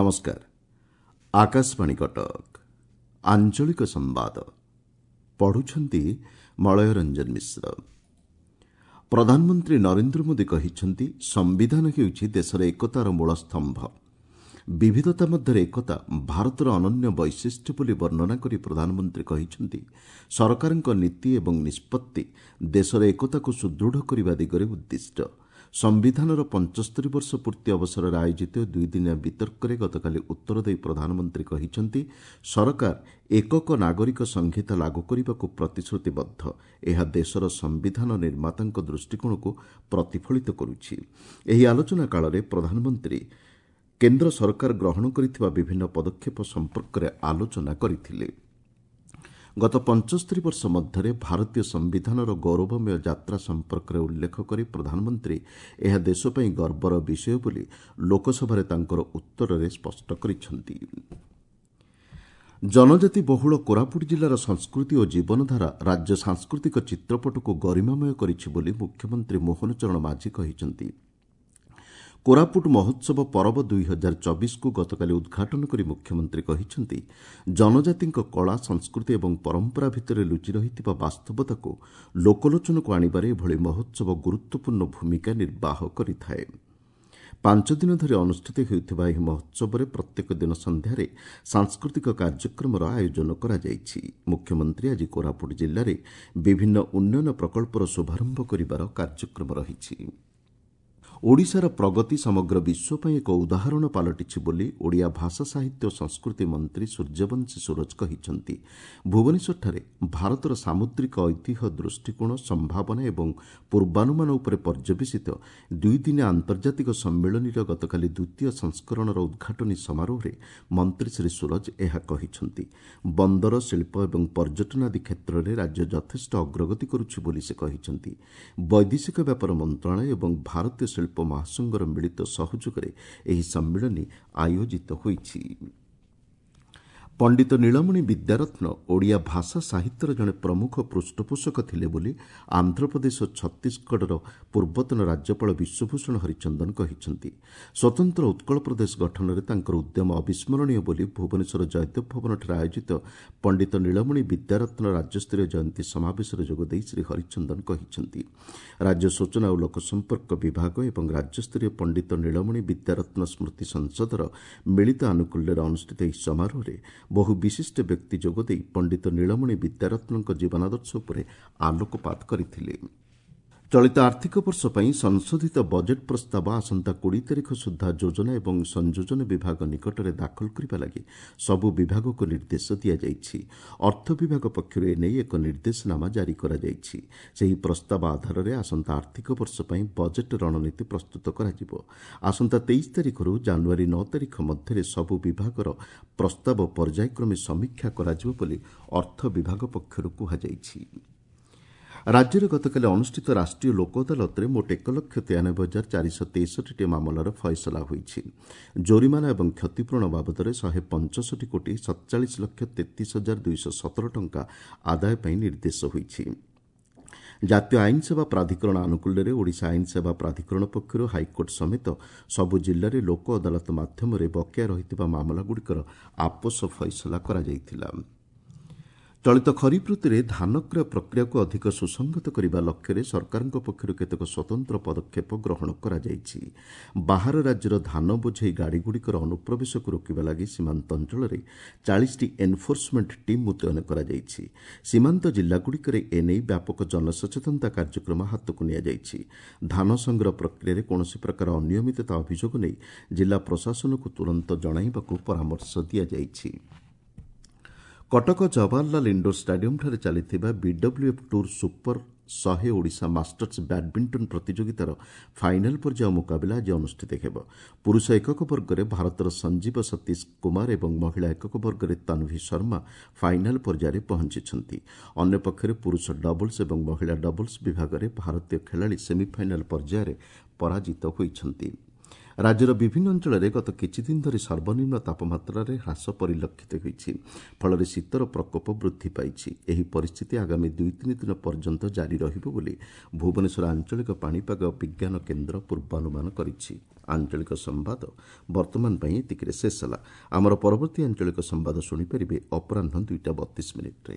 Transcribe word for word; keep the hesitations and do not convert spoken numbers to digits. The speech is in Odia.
ନମସ୍କାର ଆକାଶବାଣୀ କଟକ ଆଞ୍ଚଳିକ ସମ୍ବାଦ ପଢୁଛନ୍ତି ମଳୟ ରଞ୍ଜନ ମିଶ୍ର ପ୍ରଧାନମନ୍ତ୍ରୀ ନରେନ୍ଦ୍ର ମୋଦି କହିଛନ୍ତି ସମ୍ବିଧାନ ହେଉଛି ଦେଶର ଏକତାର ମୂଳ ସ୍ତମ୍ଭ ବିବିଧତା ମଧ୍ୟରେ ଏକତା ଭାରତର ଅନନ୍ୟ ବୈଶିଷ୍ଟ୍ୟ ବୋଲି ବର୍ଣ୍ଣନା କରି ପ୍ରଧାନମନ୍ତ୍ରୀ କହିଛନ୍ତି ସରକାରଙ୍କ ନୀତି ଏବଂ ନିଷ୍ପତ୍ତି ଦେଶର ଏକତାକୁ ସୁଦୃଢ଼ କରିବା ଦିଗରେ ଉଦ୍ଦିଷ୍ଟ ସମ୍ବିଧାନର ପଞ୍ଚସ୍ତରୀ ବର୍ଷ ପୂର୍ତ୍ତି ଅବସରରେ ଆୟୋଜିତ ଦୁଇଦିନିଆ ବିତର୍କରେ ଗତକାଲି ଉତ୍ତର ଦେଇ ପ୍ରଧାନମନ୍ତ୍ରୀ କହିଛନ୍ତି ସରକାର ଏକକ ନାଗରିକ ସଂହିତା ଲାଗୁ କରିବାକୁ ପ୍ରତିଶ୍ରୁତିବଦ୍ଧ ଏହା ଦେଶର ସମ୍ବିଧାନ ନିର୍ମାତାଙ୍କ ଦୃଷ୍ଟିକୋଣକୁ ପ୍ରତିଫଳିତ କରୁଛି ଏହି ଆଲୋଚନା କାଳରେ ପ୍ରଧାନମନ୍ତ୍ରୀ କେନ୍ଦ୍ର ସରକାର ଗ୍ରହଣ କରିଥିବା ବିଭିନ୍ନ ପଦକ୍ଷେପ ସମ୍ପର୍କରେ ଆଲୋଚନା କରିଥିଲେ ଗତ ପଞ୍ଚସ୍ତରୀ ବର୍ଷ ମଧ୍ୟରେ ଭାରତୀୟ ସମ୍ବିଧାନର ଗୌରବମୟ ଯାତ୍ରା ସମ୍ପର୍କରେ ଉଲ୍ଲେଖ କରି ପ୍ରଧାନମନ୍ତ୍ରୀ ଏହା ଦେଶ ପାଇଁ ଗର୍ବର ବିଷୟ ବୋଲି ଲୋକସଭାରେ ତାଙ୍କର ଉତ୍ତରରେ ସ୍ପଷ୍ଟ କରିଛନ୍ତି ଜନଜାତି ବହୁଳ କୋରାପୁଟ ଜିଲ୍ଲାର ସଂସ୍କୃତି ଓ ଜୀବନଧାରା ରାଜ୍ୟ ସାଂସ୍କୃତିକ ଚିତ୍ରପଟକୁ ଗରିମାମୟ କରିଛି ବୋଲି ମୁଖ୍ୟମନ୍ତ୍ରୀ ମୋହନ ଚରଣ ମାଝୀ କହିଛନ୍ତି କୋରାପୁଟ ମହୋତ୍ସବ ପରବ ଦୁଇ ହଜାର ଚବିଶକୁ ଗତକାଲି ଉଦ୍ଘାଟନ କରି ମୁଖ୍ୟମନ୍ତ୍ରୀ କହିଛନ୍ତି ଜନଜାତିଙ୍କ କଳା ସଂସ୍କୃତି ଏବଂ ପରମ୍ପରା ଭିତରେ ଲୁଚି ରହିଥିବା ବାସ୍ତବତାକୁ ଲୋକଲୋଚନକୁ ଆଣିବାରେ ଏଭଳି ମହୋତ୍ସବ ଗୁରୁତ୍ୱପୂର୍ଣ୍ଣ ଭୂମିକା ନିର୍ବାହ କରିଥାଏ ପାଞ୍ଚ ଦିନ ଧରି ଅନୁଷ୍ଠିତ ହେଉଥିବା ଏହି ମହୋତ୍ସବରେ ପ୍ରତ୍ୟେକ ଦିନ ସନ୍ଧ୍ୟାରେ ସାଂସ୍କୃତିକ କାର୍ଯ୍ୟକ୍ରମର ଆୟୋଜନ କରାଯାଇଛି ମୁଖ୍ୟମନ୍ତ୍ରୀ ଆଜି କୋରାପୁଟ ଜିଲ୍ଲାରେ ବିଭିନ୍ନ ଉନ୍ନୟନ ପ୍ରକଳ୍ପର ଶୁଭାରମ୍ଭ କରିବାର କାର୍ଯ୍ୟକ୍ରମ ରହିଛି ଓଡ଼ିଶାର ପ୍ରଗତି ସମଗ୍ର ବିଶ୍ୱ ପାଇଁ ଏକ ଉଦାହରଣ ପାଲଟିଛି ବୋଲି ଓଡ଼ିଆ ଭାଷା ସାହିତ୍ୟ ଓ ସଂସ୍କୃତି ମନ୍ତ୍ରୀ ସୂର୍ଯ୍ୟବଂଶୀ ସୂରଜ କହିଛନ୍ତି ଭୁବନେଶ୍ୱରଠାରେ ଭାରତର ସାମୁଦ୍ରିକ ଐତିହ୍ୟ ଦୃଷ୍ଟିକୋଣ ସମ୍ଭାବନା ଏବଂ ପୂର୍ବାନୁମାନ ଉପରେ ପର୍ଯ୍ୟବେସିତ ଦୁଇଦିନିଆ ଆନ୍ତର୍ଜାତିକ ସମ୍ମିଳନୀର ଗତକାଲି ଦ୍ୱିତୀୟ ସଂସ୍କରଣର ଉଦ୍ଘାଟନୀ ସମାରୋହରେ ମନ୍ତ୍ରୀ ଶ୍ରୀ ସୂରଜ ଏହା କହିଛନ୍ତି ବନ୍ଦର ଶିଳ୍ପ ଏବଂ ପର୍ଯ୍ୟଟନ ଆଦି କ୍ଷେତ୍ରରେ ରାଜ୍ୟ ଯଥେଷ୍ଟ ଅଗ୍ରଗତି କରୁଛି ବୋଲି ସେ କହିଛନ୍ତି ବୈଦେଶିକ ବ୍ୟାପାର ମନ୍ତ୍ରଣାଳୟ ଏବଂ ଭାରତୀୟ ଶିଳ୍ପ ମହାସଂଘର ମିଳିତ ସହଯୋଗରେ ଏହି ସମ୍ମିଳନୀ ଆୟୋଜିତ ହୋଇଛି ପଣ୍ଡିତ ନୀଳମଣି ବିଦ୍ୟାରତ୍ନ ଓଡ଼ିଆ ଭାଷା ସାହିତ୍ୟର ଜଣେ ପ୍ରମୁଖ ପୃଷ୍ଠପୋଷକ ଥିଲେ ବୋଲି ଆନ୍ଧ୍ରପ୍ରଦେଶ ଓ ଛତିଶଗଡ଼ର ପୂର୍ବତନ ରାଜ୍ୟପାଳ ବିଶ୍ୱଭୂଷଣ ହରିଚନ୍ଦନ କହିଛନ୍ତି ସ୍ୱତନ୍ତ୍ର ଉତ୍କଳ ପ୍ରଦେଶ ଗଠନରେ ତାଙ୍କର ଉଦ୍ୟମ ଅବିସ୍ମରଣୀୟ ବୋଲି ଭୁବନେଶ୍ୱର ଜୟଦେବ ଭବନଠାରେ ଆୟୋଜିତ ପଣ୍ଡିତ ନୀଳମଣି ବିଦ୍ୟାରତ୍ନ ରାଜ୍ୟସ୍ତରୀୟ ଜୟନ୍ତୀ ସମାବେଶରେ ଯୋଗଦେଇ ଶ୍ରୀ ହରିଚନ୍ଦନ କହିଛନ୍ତି ରାଜ୍ୟ ସୂଚନା ଓ ଲୋକସମ୍ପର୍କ ବିଭାଗ ଏବଂ ରାଜ୍ୟସ୍ତରୀୟ ପଣ୍ଡିତ ନୀଳମଣି ବିଦ୍ୟାରତ୍ନ ସ୍ମୃତି ସଂସଦର ମିଳିତ ଆନୁକୂଲ୍ୟରେ ଅନୁଷ୍ଠିତ ଏହି ସମାରୋହରେ ବହୁ ବିଶିଷ୍ଟ ବ୍ୟକ୍ତି ଯୋଗଦେଇ ପଣ୍ଡିତ ନୀଳମଣି ବିଦ୍ୟାରତ୍ନଙ୍କ ଜୀବନାଦର୍ଶ ଉପରେ ଆଲୋକପାତ କରିଥିଲେ ଚଳିତ ଆର୍ଥିକ ବର୍ଷ ପାଇଁ ସଂଶୋଧିତ ବଜେଟ୍ ପ୍ରସ୍ତାବ ଆସନ୍ତା କୋଡ଼ିଏ ତାରିଖ ସୁଦ୍ଧା ଯୋଜନା ଏବଂ ସଂଯୋଜନ ବିଭାଗ ନିକଟରେ ଦାଖଲ କରିବା ଲାଗି ସବୁ ବିଭାଗକୁ ନିର୍ଦ୍ଦେଶ ଦିଆଯାଇଛି ଅର୍ଥ ବିଭାଗ ପକ୍ଷରୁ ଏନେଇ ଏକ ନିର୍ଦ୍ଦେଶନାମା ଜାରି କରାଯାଇଛି ସେହି ପ୍ରସ୍ତାବ ଆଧାରରେ ଆସନ୍ତା ଆର୍ଥିକ ବର୍ଷ ପାଇଁ ବଜେଟ୍ ରଣନୀତି ପ୍ରସ୍ତୁତ କରାଯିବ ଆସନ୍ତା ତେଇଶ ତାରିଖରୁ ଜାନୁଆରୀ ନଅ ତାରିଖ ମଧ୍ୟରେ ସବୁ ବିଭାଗର ପ୍ରସ୍ତାବ ପର୍ଯ୍ୟାୟକ୍ରମେ ସମୀକ୍ଷା କରାଯିବ ବୋଲି ଅର୍ଥ ବିଭାଗ ପକ୍ଷରୁ କୁହାଯାଇଛି ରାଜ୍ୟରେ ଗତକାଲି ଅନୁଷ୍ଠିତ ରାଷ୍ଟ୍ରୀୟ ଲୋକ ଅଦାଲତରେ ମୋଟ ଏକ ଲକ୍ଷ ତେୟାନବେ ହଜାର ଚାରିଶହ ତେଷଠିଟି ମାମଲାର ଫଇସଲା ହୋଇଛି ଜୋରିମାନା ଏବଂ କ୍ଷତିପୂରଣ ବାବଦରେ ଶହେ ପଞ୍ଚଷଠି କୋଟି ସତଚାଳିଶ ଲକ୍ଷ ତେତିଶ ହଜାର ଦୁଇଶହ ସତର ଟଙ୍କା ଆଦାୟ ପାଇଁ ନିର୍ଦ୍ଦେଶ ହୋଇଛି ଜାତୀୟ ଆଇନ ସେବା ପ୍ରାଧିକରଣ ଆନୁକୂଲ୍ୟରେ ଓଡ଼ିଶା ଆଇନ ସେବା ପ୍ରାଧିକରଣ ପକ୍ଷରୁ ହାଇକୋର୍ଟ ସମେତ ସବୁ ଜିଲ୍ଲାରେ ଲୋକ ଅଦାଲତ ମାଧ୍ୟମରେ ବକେୟା ରହିଥିବା ମାମଲାଗୁଡ଼ିକର ଆପୋଷ ଫଇସଲା କରାଯାଇଥିଲା ଚଳିତ ଖରିଫ ଋତୁରେ ଧାନ କ୍ରୟ ପ୍ରକ୍ରିୟାକୁ ଅଧିକ ସୁସଂହତ କରିବା ଲକ୍ଷ୍ୟରେ ସରକାରଙ୍କ ପକ୍ଷରୁ କେତେକ ସ୍ୱତନ୍ତ୍ର ପଦକ୍ଷେପ ଗ୍ରହଣ କରାଯାଇଛି ବାହାର ରାଜ୍ୟର ଧାନ ବୋଝେଇ ଗାଡ଼ିଗୁଡ଼ିକର ଅନୁପ୍ରବେଶକୁ ରୋକିବା ଲାଗି ସୀମାନ୍ତ ଅଞ୍ଚଳରେ ଚାଳିଶଟି ଏନ୍ଫୋର୍ସମେଣ୍ଟ ଟିମ୍ ମୁତୟନ କରାଯାଇଛି ସୀମାନ୍ତ ଜିଲ୍ଲାଗୁଡ଼ିକରେ ଏନେଇ ବ୍ୟାପକ ଜନସଚେତନତା କାର୍ଯ୍ୟକ୍ରମ ହାତକୁ ନିଆଯାଇଛି ଧାନ ସଂଗ୍ରହ ପ୍ରକ୍ରିୟାରେ କୌଣସି ପ୍ରକାର ଅନିୟମିତତା ଅଭିଯୋଗ ନେଇ ଜିଲ୍ଲା ପ୍ରଶାସନକୁ ତୁରନ୍ତ ଜଣାଇବାକୁ ପରାମର୍ଶ ଦିଆଯାଇଛି କଟକ ଜବାହରଲାଲ ଇଣ୍ଡୋର ଷ୍ଟାଡିୟମ୍ଠାରେ ଚାଲିଥିବା ବିଡବ୍ଲ୍ୟୁଏଫ୍ ଟୁର୍ ସୁପର ଶହେ ଓଡ଼ିଶା ମାଷ୍ଟର୍ସ ବ୍ୟାଡ୍ମିଣ୍ଟନ ପ୍ରତିଯୋଗିତାର ଫାଇନାଲ୍ ପର୍ଯ୍ୟାୟ ମୁକାବିଲା ଆଜି ଅନୁଷ୍ଠିତ ହେବ ପୁରୁଷ ଏକକ ବର୍ଗରେ ଭାରତର ସଞ୍ଜୀବ ସତୀଶ କୁମାର ଏବଂ ମହିଳା ଏକକ ବର୍ଗରେ ତନ୍ଭି ଶର୍ମା ଫାଇନାଲ୍ ପର୍ଯ୍ୟାୟରେ ପହଞ୍ଚିଛନ୍ତି ଅନ୍ୟପକ୍ଷରେ ପୁରୁଷ ଡବଲ୍ସ ଏବଂ ମହିଳା ଡବଲ୍ସ ବିଭାଗରେ ଭାରତୀୟ ଖେଳାଳି ସେମିଫାଇନାଲ୍ ପର୍ଯ୍ୟାୟରେ ପରାଜିତ ହୋଇଛନ୍ତି ରାଜ୍ୟର ବିଭିନ୍ନ ଅଞ୍ଚଳରେ ଗତ କିଛିଦିନ ଧରି ସର୍ବନିମ୍ନ ତାପମାତ୍ରାରେ ହ୍ରାସ ପରିଲକ୍ଷିତ ହୋଇଛି। ଫଳରେ ଶୀତର ପ୍ରକୋପ ବୃଦ୍ଧି ପାଇଛି। ଏହି ପରିସ୍ଥିତି ଆଗାମୀ ଦୁଇ ତିନି ଦିନ ପର୍ଯ୍ୟନ୍ତ ଜାରି ରହିବ ବୋଲି ଭୁବନେଶ୍ୱର ଆଞ୍ଚଳିକ ପାଣିପାଗ ବିଜ୍ଞାନ କେନ୍ଦ୍ର ପୂର୍ବାନୁମାନ କରିଛି। ଆଞ୍ଚଳିକ ସମ୍ବାଦ ବର୍ତ୍ତମାନ ପାଇଁ ଏତିକିରେ ଶେଷ ହେଲା। ଆମର ପରବର୍ତ୍ତୀ ଆଞ୍ଚଳିକ ସମ୍ବାଦ ଶୁଣିପାରିବେ ଅପରାହ୍ନ ଦୁଇଟା ବତିଶ ମିନିଟ୍ରେ।